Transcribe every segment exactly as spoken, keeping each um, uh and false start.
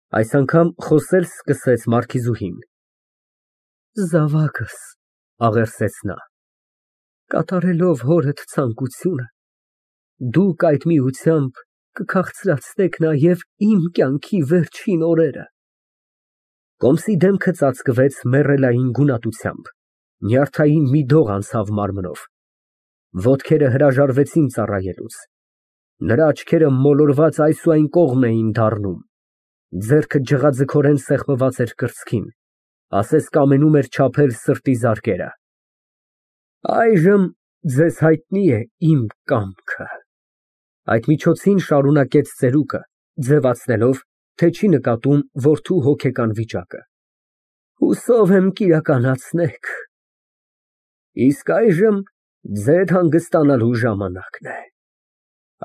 Այս անգամ խոսել սկսեց մարքիզուհին։ Զավակս, աղերսեց նա, կատարելով հորդ ցանկությունը, դուք այդ միությամբ կքաղցրացնեք նաև իմ կյանքի վերջին օրերը։ Կոմսի դեմքը ծածկվեց մեռելային գունատությամբ, նյարդային մի դող անցավ մարմնով, ոտքերը հրաժարվեցին ծառայելուց, նրա աչքերը մոլորված այս ու այն կողմ էին դառնում, ձեռքը ջղաձգորեն սեղմված էր կրծքին, ասես կամենում էր չափել սրտի զարկերը։ Այժմ ձեզ հայտնի է իմ կամքը։ Այդ միջոցին շարունակեց ծերուկը, ձևացնելով, թե չի նկատում որդու հոգեկան վիճակը։ Հուսով եմ կիրականացնեք։ Իսկ այժմ ձեր հանգստանալու ժամանակն է։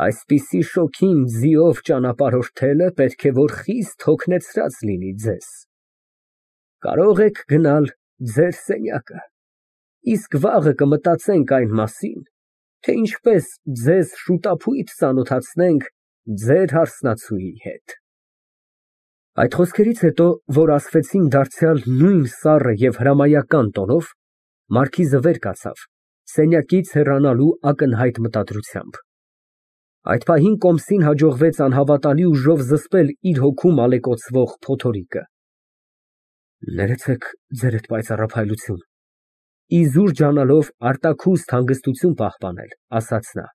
Այսպիսի շոգին ձիով ճանապարհորդելը պետք է որ խիստ հոգնեցրած լինի ձեզ։ Կարող եք գնալ ձեր սենյակը, իսկ վաղը կմտածենք այն մասին, թե ինչպես ձեզ շուտափույթ ծանոթացնենք ձեր հարսնացուի հետ։ Այդ խոսքերից հետո, որ ասվեցին դարձյալ նույն սառը և հրամայական տոնով, մարքիզը վեր կացավ, սենյակից հեռանալու ակնհայտ մտադրությամբ։ Այդ պահին Կոմսին հաջողվեց անհավատալի ուժով զսպել իր հոգում ալեկոծվող փոթորիկը։ Ներեցեք ձերդ պայծառափայլություն, իզուր ջանալով արտաքուստ հանգստություն պահպանել, ասաց նա,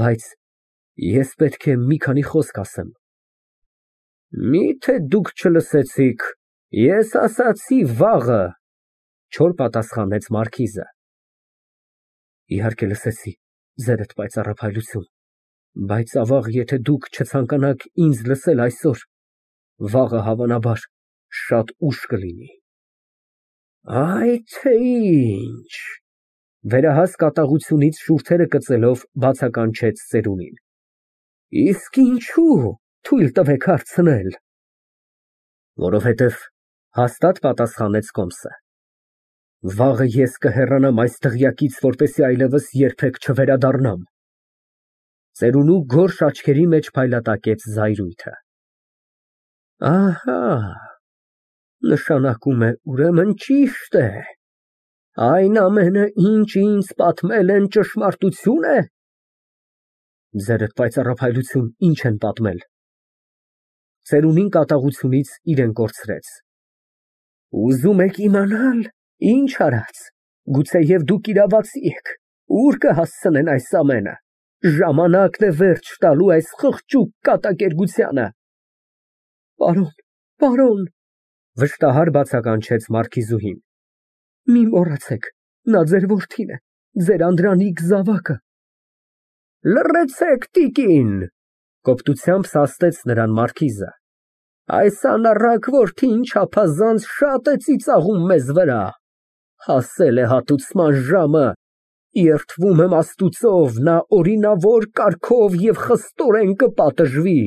բայց ես պետք է մի քանի խոսք ասեմ։ Միթե դուք չլսեցիք, ես ասացի վաղը, չոր պատասխանեց մարքիզը։ Իհարկե լսեցի, ձերդ պայծառափայլություն, բայց ավաղ, եթե դուք չցանկանաք ինձ լսել այսօր, վաղը հավանաբար շատ ուշ կլինի։ Այ թե ինչ, վերահաս կատաղությունից շուրթերը կծելով բացականչեց ծերունին։ Իսկ ինչու թույլ տվեք հարցնել։ Որովհետև հաստատ պատասխանեց Կոմսը։ Վաղը ես կհեռանամ այս դղյակից, որպեսզի այլևս երբեք չվերադառնամ։ Ծերունու գորշ աչքերի մեջ փայլատակեց զայրույթը։ Ահա, նշանակում է ուրեմն ճիշտ է։ Այն ամենը, ինչ ինձ պատմել են, ճշմարտություն է։ Ձերդ պայծառափայլություն, ինչ են պատմել։ Ծերունին կատաղությունից իրեն կորցրեց։ Ուզում եք իմանալ, ինչ արած, գուցեև դուք իրավացի եք, ուր կհասցնեն այս ամենը, ժամանակն է վերջ տալու այս խղճուկ կատակերգությանը։ Պարոն, պարոն, վշտահար բացականչեց մարքիզուհին, մի մոռացեք, նա ձեր որդին է, ձեր անդրանիկ զավակը։ Լռեցեք, տիկին, կոպտությամբ սաստեց նրան մարքիզը, այս անառակ որդին չափազանց շատ է ծիծաղում մեզ վրա, հասել է հատուցման ժամը, երդվում եմ Աստուծով, նա օրինավոր կարգով և խստորեն կպատժվի։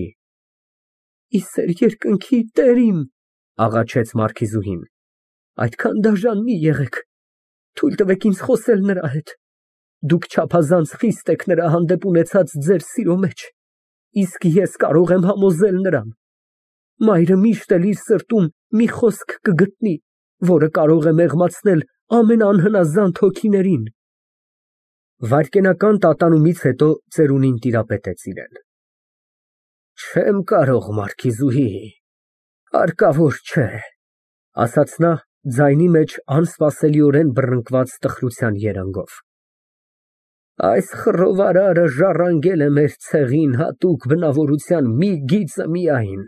Ի սեր երկնքի Տեր իմ, աղաչեց մարքիզուհին, այդքան դաժան մի եղեք, թույլ տվեք ինձ խոսել նրա հետ, դուք չափազանց խիստ եք նրա հանդեպ ունեցած ձեր սիրո մեջ, իսկ ես կարող եմ համոզել նրան, մայրը միշտ էլ իր սրտում մի խոսք կգտնի, որը կարող է մեղմացնել ամենաանհնազանդ հոգիներին։ Վայրկենական տատանումից հետո ծերունին տիրապետեց իրեն։ Չեմ կարող, մարքիզուհի, հարկավոր չէ, ասաց նա ձայնի մեջ անսպասելիորեն բռնկված տխրության երանգով։ Այս խռովարարը ժառանգել է մեր ցեղին հատուկ բնավորության մի գիծը միայն,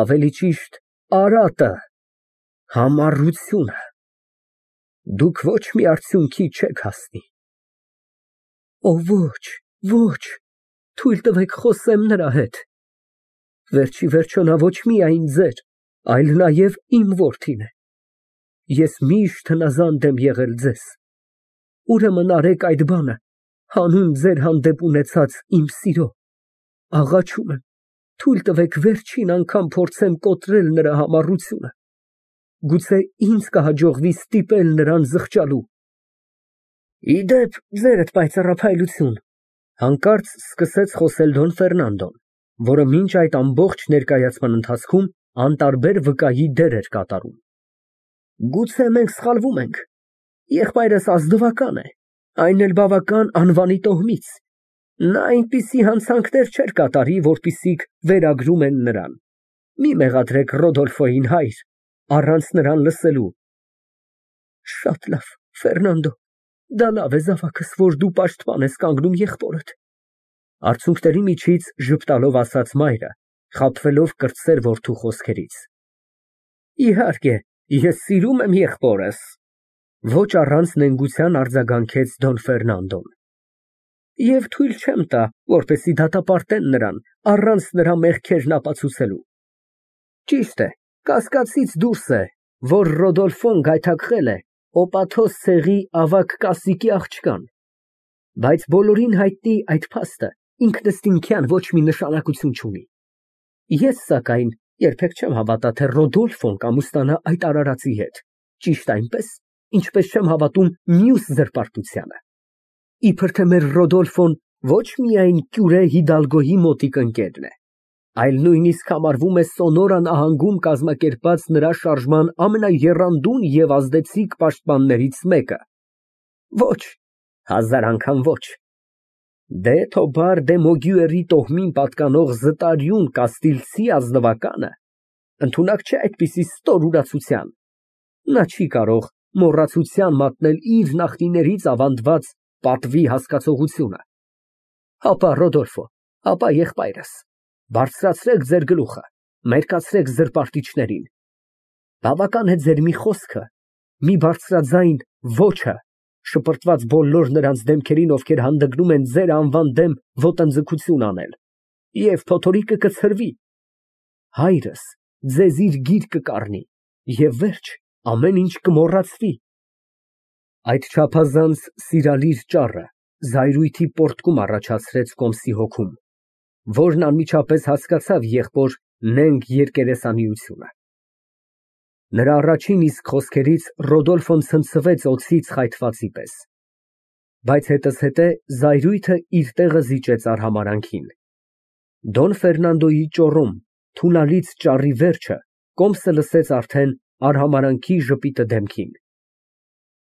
ավելի ճիշտ արատը, համառությունը։ Դուք ոչ մի արդյունքի չեք հասնի։ Օ ոչ, ոչ, թույլ տվեք խոսեմ նրա հետ։ Վերջի վերջո նա ոչ միայն ձեր, այլ նաև իմ որդին է։ Ես միշտ հնազանդ եմ եղել ձեզ։ Ուրեմն արեք այդ բանը, հանուն ձեր հանդեպ ունեցած իմ սիրո։ Աղաչում եմ, թույլ տվեք վերջին անգամ փորձեմ կոտրել նրա համառությունը։ Գուցե ինձ կհաջողվի ստիպել նրան զղջալու։ Իդեպ, ձերդ պայծառափայլություն, հանկարծ սկսեց խոսել Դոն Ֆերնանդոն, որը մինչ այդ ամբողջ ներկայացման ընթացքում անտարբեր վկայի դեր էր կատարում։ Գուցե մենք սխալվում ենք, եղբայրս ազնվական է, այն էլ բավական անվանի տոհմից, նա այնպիսի հանցանքներ չէր կատարի, որպիսիք վերագրում են նրան, մի մեղադրեք Ռոդոլֆոյին, հայր, առանց նրան լսելու։ Շատ լավ, Ֆերնանդո, դա լավ է զավակս, որ դու պաշտպան ես կանգնում եղբորդ, արցունքների միջից ժպտալով ասաց մայրը, խաբվելով կրտսեր որդու խոսքերից։ Իհարկե, ես սիրում եմ եղբորս, ոչ առանց նենգության արձագանքեց Դոն Ֆերնանդոն։ Եվ թույլ չեմ տա, որպեսզի դատապարտեն նրան, առանց նրա մեղքերն ապացուցելու։ Ճիշտ է, կասկածից դուրս է, որ Ռոդոլֆոն գայթակղել է Օպաթոս ցեղի ավագ կասիկի աղջկան, բայց բոլորին հայտնի այդ փաստը ինքնըստինքյան ոչ մի նշանակություն չունի։ Ես, սակայն, երբեք չեմ հավատա, թե Ռոդոլֆոն կամուստանա այդ արարածի հետ, ճիշտ այնպես, ինչպես չեմ հավատում մյուս զրպարտությանը։ Իբր թե մեր Ռոդոլֆոն ոչ միայն Կյուրե Հիդալգոյի մոտիկ ընկերն է, այլ նույնիսկ համարվում է Սոնորա նահանգում կազմակերպած նրա շարժման ամենաեռանդուն և ազդեցիկ պաշտպաններից մեկը։ Ոչ, հազար անգամ ոչ։ Դե Թոբար դե Մոգյուերի տոհմին պատկանող զտարյուն կաստիլցի ազնվականը ընդունակ չէ այդպիսի ստոր ուրացության։ Նա չի կարող մոռացության մատնել իր նախնիներից ավանդված պատվի հասկացողությունը։ Հապա Ռոդոլֆո, հապա եղբայրս, բարձրացրեք ձեր գլուխը, մերկացրեք զրպարտիչներին։ Բավական է ձեր մի խոսքը, մի բարձրաձայն ոչը, շպրտված բոլոր նրանց դեմքերին, ովքեր հանդգնում են ձեր անվան դեմ ոտնձգություն անել, և փոթորիկը կցրվի։ Հայրս ձեզ իր գիրկը կառնի, և վերջ, ամեն ինչ կմոռացվի։ Այդ չափազանց սիրալիր ճառը զայրույթի պոռթկում առաջացրեց Կոմսի հոգում, որն անմիջապես հասկացավ եղբոր նենգ երկերեսանիությունը։ Նրա առաջին իսկ խոսքերից Ռոդոլֆոն ցնցվեց օձից խայթվածի պես, բայց հետզհետե զայրույթը իր տեղը զիջեց արհամարհանքին։ Դոն Ֆերնանդոյի ճոռում թունալից ճառի վերջը Կոմսը լսեց արդեն արհամարհանքի ժպիտը դեմքին։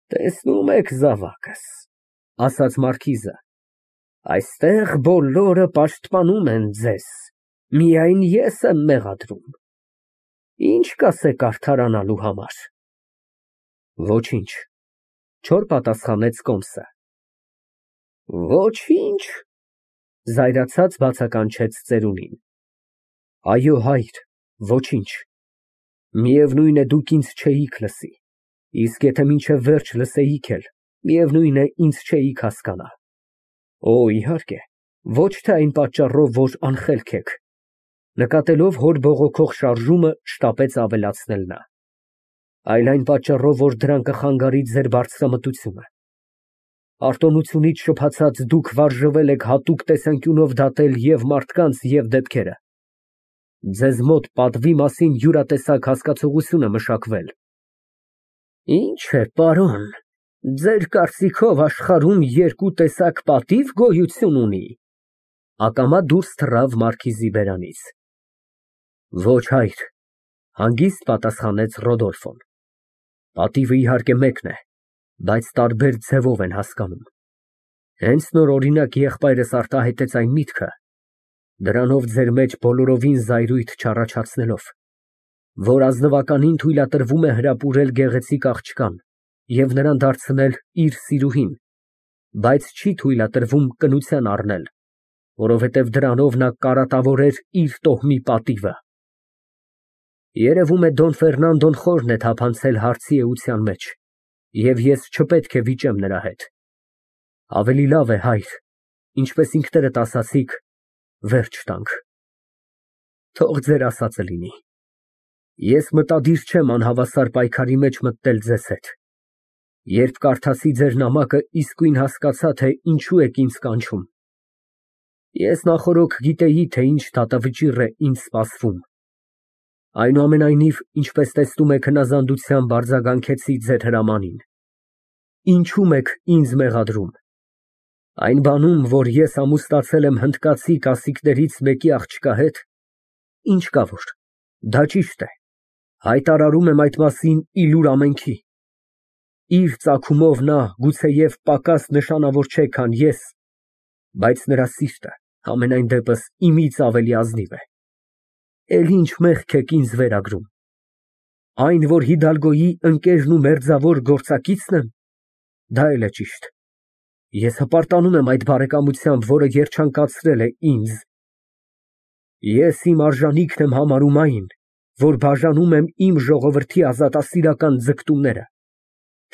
Տեսնում եք, զավակս, ասաց մարքիզը, այստեղ բոլորը պաշտպանում են ձեզ, միայն ես եմ մեղադրում։ Ինչ կասեք արդարանալու համար։ Ոչինչ, չոր պատասխանեց Կոմսը։ Ոչինչ, զայրացած բացականչեց ծերունին։ Այո, հայր, ոչինչ։ Միևնույն է, դուք ինձ չէիք լսի, իսկ եթե մինչև վերջ լսեիք էլ, միևնույն է, ինձ չէիք հասկանա։ Օ, իհարկե, ոչ թե այն պատճառով, որ անխելք եք, նկատելով հոր բողոքող շարժումը, շտապեց ավելացնել նա, այլ այն պատճառով, որ դրան կխանգարի ձեր բարձրամտությունը։ Արտոնությունից շփացած դուք վարժվել եք հատուկ տեսանկյունով դատել և մարդկանց, և դեպքերը։ Ձեզ մոտ պատվի մասին յուրատեսակ հասկացողություն է մշակվել։ Ինչ է, պարոն, ձեր կարծիքով աշխարհում երկու տեսակ պատիվ գոյություն ունի։ Ակամա դուրս թռավ մարքիզի բերանից։ Ոչ, հայր, հանգիստ պատասխանեց Ռոդոլֆոն։ Պատիվը իհարկե մեկն է, բայց տարբեր ձևով են հասկանում։ Հենց նոր օրինակ եղբայրս արտահայտեց այն միտքը, դրանով ձեր մեջ բոլորովին զայրույթ չառաջացնելով, որ ազնվականին թույլատրվում է հրապուրել գեղեցիկ աղջկան և նրան դարձնել իր սիրուհին, բայց չի թույլատրվում կնության առնել, որովհետև դրանով նա կարատավորեր իր տոհմի պատիվը։ Երևում է Դոն Ֆերնանդոն խորն է թափանցել հարցի էության մեջ, և ես չպետք է վիճեմ նրա հետ։ Ավելի լավ է, հայր, ինչպես ինքներդ ասացիք, վերջ տանք։ Թող ձեր ասածը լինի։ Ես մտադիր չեմ անհավասար պայքարի մեջ մտնել ձեզ հետ։ Երբ կարդացի ձեր նամակը, իսկույն հասկացա, թե ինչու եք ինձ կանչում։ Ես նախօրոք գիտեի, թե ինչ դատավճիռ է ինձ սպասվում։ Այնուամենայնիվ, ինչպես տեսնում եք, հնազանդությամբ արձագանքեցի ձեր հրամանին։ Ինչու՞մ եք ինձ մեղադրում։ Այն բանում, որ ես ամուսնացել եմ հնդկացի կասիկներից մեկի աղջկա հետ, ինչ կա որ, դա ճիշտ է, հայտարարում եմ այդ մասին ի լուր ամենքի, իր ծագումով նա գուցեև պակաս նշանավոր չէ, քան ես, բայց նրա սիրտը, համենայն դեպս, իմից ավելի ազնիվ է, էլ ինչ մեղք եք ինձ վերագրում, այն, որ Հիդալգոյի ընկերն ու մերձավոր գործակիցն եմ, դա էլ է ճիշտ, ես հպարտանում եմ այդ բարեկամությամբ, որը երջանկացրել է ինձ, ես իմ արժանիքն եմ համարում այն, որ բաժանում եմ իմ ժողովրդի ազատասիրական ձգտումները,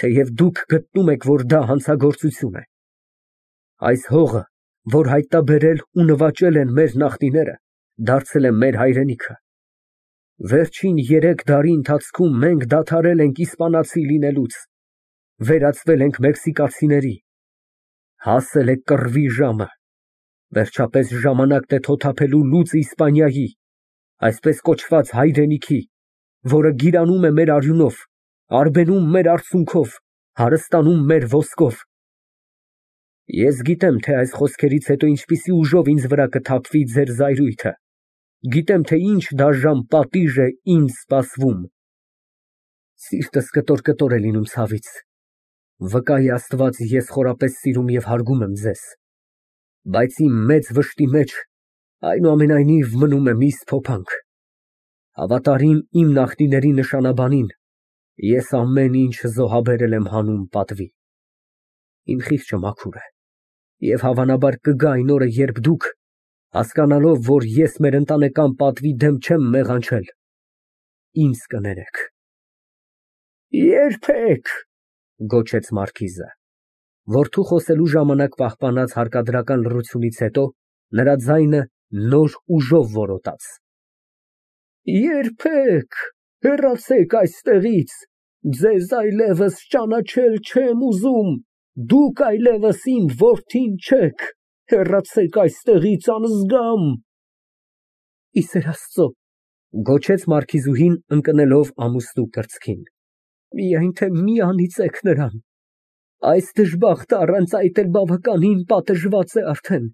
թեև դուք գտնում եք, որ դա հանցագործություն է, այս հողը, որ հայտնաբերել ու նվաճել են մեր նախնիները, դարձել է մեր հայրենիքը, վերջին երեք դարի ընթացքում մենք դադարել ենք իսպանացի լինելուց, վերածվել ենք մեքսիկացիների, հասել է կռվի ժամը, վերջապես ժամանակն է թոթափելու լուծը Իսպանիայի, այսպես կոչված հայրենիքի, որը գիրանում է մեր արյունով, արբենում մեր արցունքով, հարստանում մեր ոսկով։ Ես գիտեմ, թե այս խոսքերից հետո ինչպիսի ուժով ինձ վրա կթափվի ձեր զայրույթը, գիտեմ, թե ինչ դաժան պատիժ է ինձ սպասվում։ Սիրտս կտոր-կտոր է լինում ցավից, վկայի Աստված, ես խորապես սիրում և հարգում եմ ձեզ, բայց իմ մեծ վշտի մեջ այնուամենայնիվ մնում է մի սփոփանք, հավատարիմ իմ նախնիների նշանաբանին, ես ամեն ինչ զոհաբերել եմ հանուն պատվի, իմ խիղճը մաքուր է, և հավանաբար կգա այն օրը, երբ դուք, հասկանալով, որ ես մեր ընտանեկան պատվի դեմ չեմ մեղանչել, ինձ կներեք։ Երբեք, գոչեց մարքիզը, որդու խոսելու ժամանակ պահպանած հարկադրական լռությունից հետո նրա ձայնը նոր ուժով որոտաց։ Երբեք, հեռացեք այստեղից, ձեզ այլևս ճանաչել չեմ ուզում, դուք այլևս իմ որդին չեք, հեռացեք այստեղից անզգամ։ Ի սեր Աստծո, գոչեց մարքիզուհին ընկնելով ամուսնու կրծքին, միայն թե մի անիծեք նրան, այս դժբախտը առանց այդ էլ բավականին պատժված է արդեն,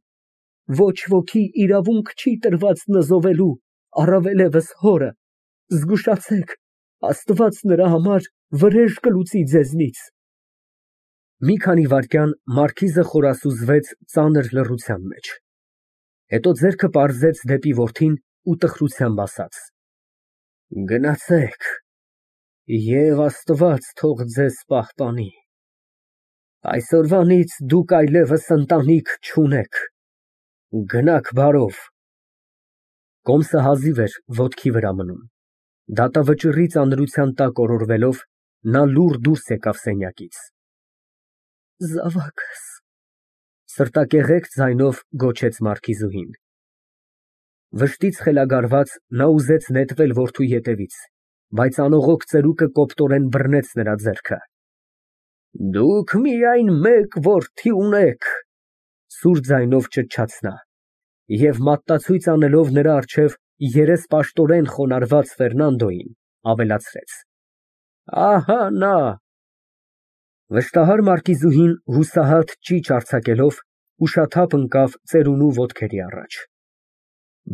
ոչ ոքի իրավունք չի տրված նզովելու, առավելևս հորը, զգուշացեք, Աստված նրա համար վրեժ կլուծի ձեզնից։ Մի քանի վայրկյան մարքիզը խորասուզվեց ծանր լռության մեջ, հետո ձեռքը պարզեց դեպի որդին ու տխրությամբ ասաց. Գնացեք, և Աստված թող ձեզ պահպանի, այսօրվանից դուք այլևս ընտանիք չունեք, գնաք բարով։ Կոմսը հազիվ էր ոտքի վրա մնում, դատավճռի ծանրության տակ օրորվելով, նա լուռ դուրս եկավ սենյակից։ Զավակս, սրտակեղեկ ձայնով գոչեց մարքիզուհին։ Վշտից խելագարված նա ուզեց նետվել որդու ետևից, բայց անողոք ծերուկը կոպտորեն բռնեց նրա ձեռքը։ Դուք միայն մեկ որդի ունեք, սուր ձայնով ճչաց նա, և մատնացույց անելով նրա առջև երեսպաշտորեն խոնարհված Ֆերնանդոյին, ավելացրեց. Ահա նա։ Վշտահար մարքիզուհին հուսահատ ճիչ արձակելով ուշաթափ ընկավ ծերունու ոտքերի առաջ,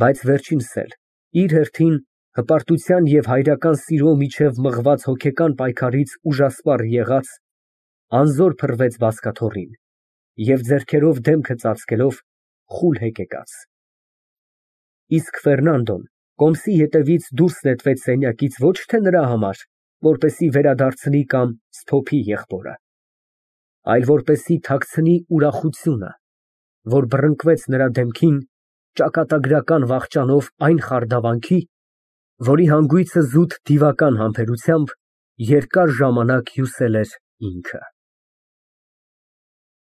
բայց վերջինս էլ, իր հերթին, հպարտության և հայրական սիրո միջև մղված հոգեկան պայքարից ուժասպառ եղած, անզոր փռվեց բազկաթոռին և ձեռքերով դեմքը ծածկելով խուլ հեկեկաց։ Իսկ Ֆերնանդոն կոմսի ետևից դուրս նետվեց սենյակից ոչ թե նրա համար, որպեսզի վերադարձնի կամ սփոփի եղբորը, այլ որպեսզի թաքցնի ուրախությունը, որ բռնկվեց նրա դեմքին ճակատագրական վախճանով այն խարդավանքի, որի հանգույցը զուտ դիվական համբերությամբ երկար ժամանակ հյուսել էր ինքը։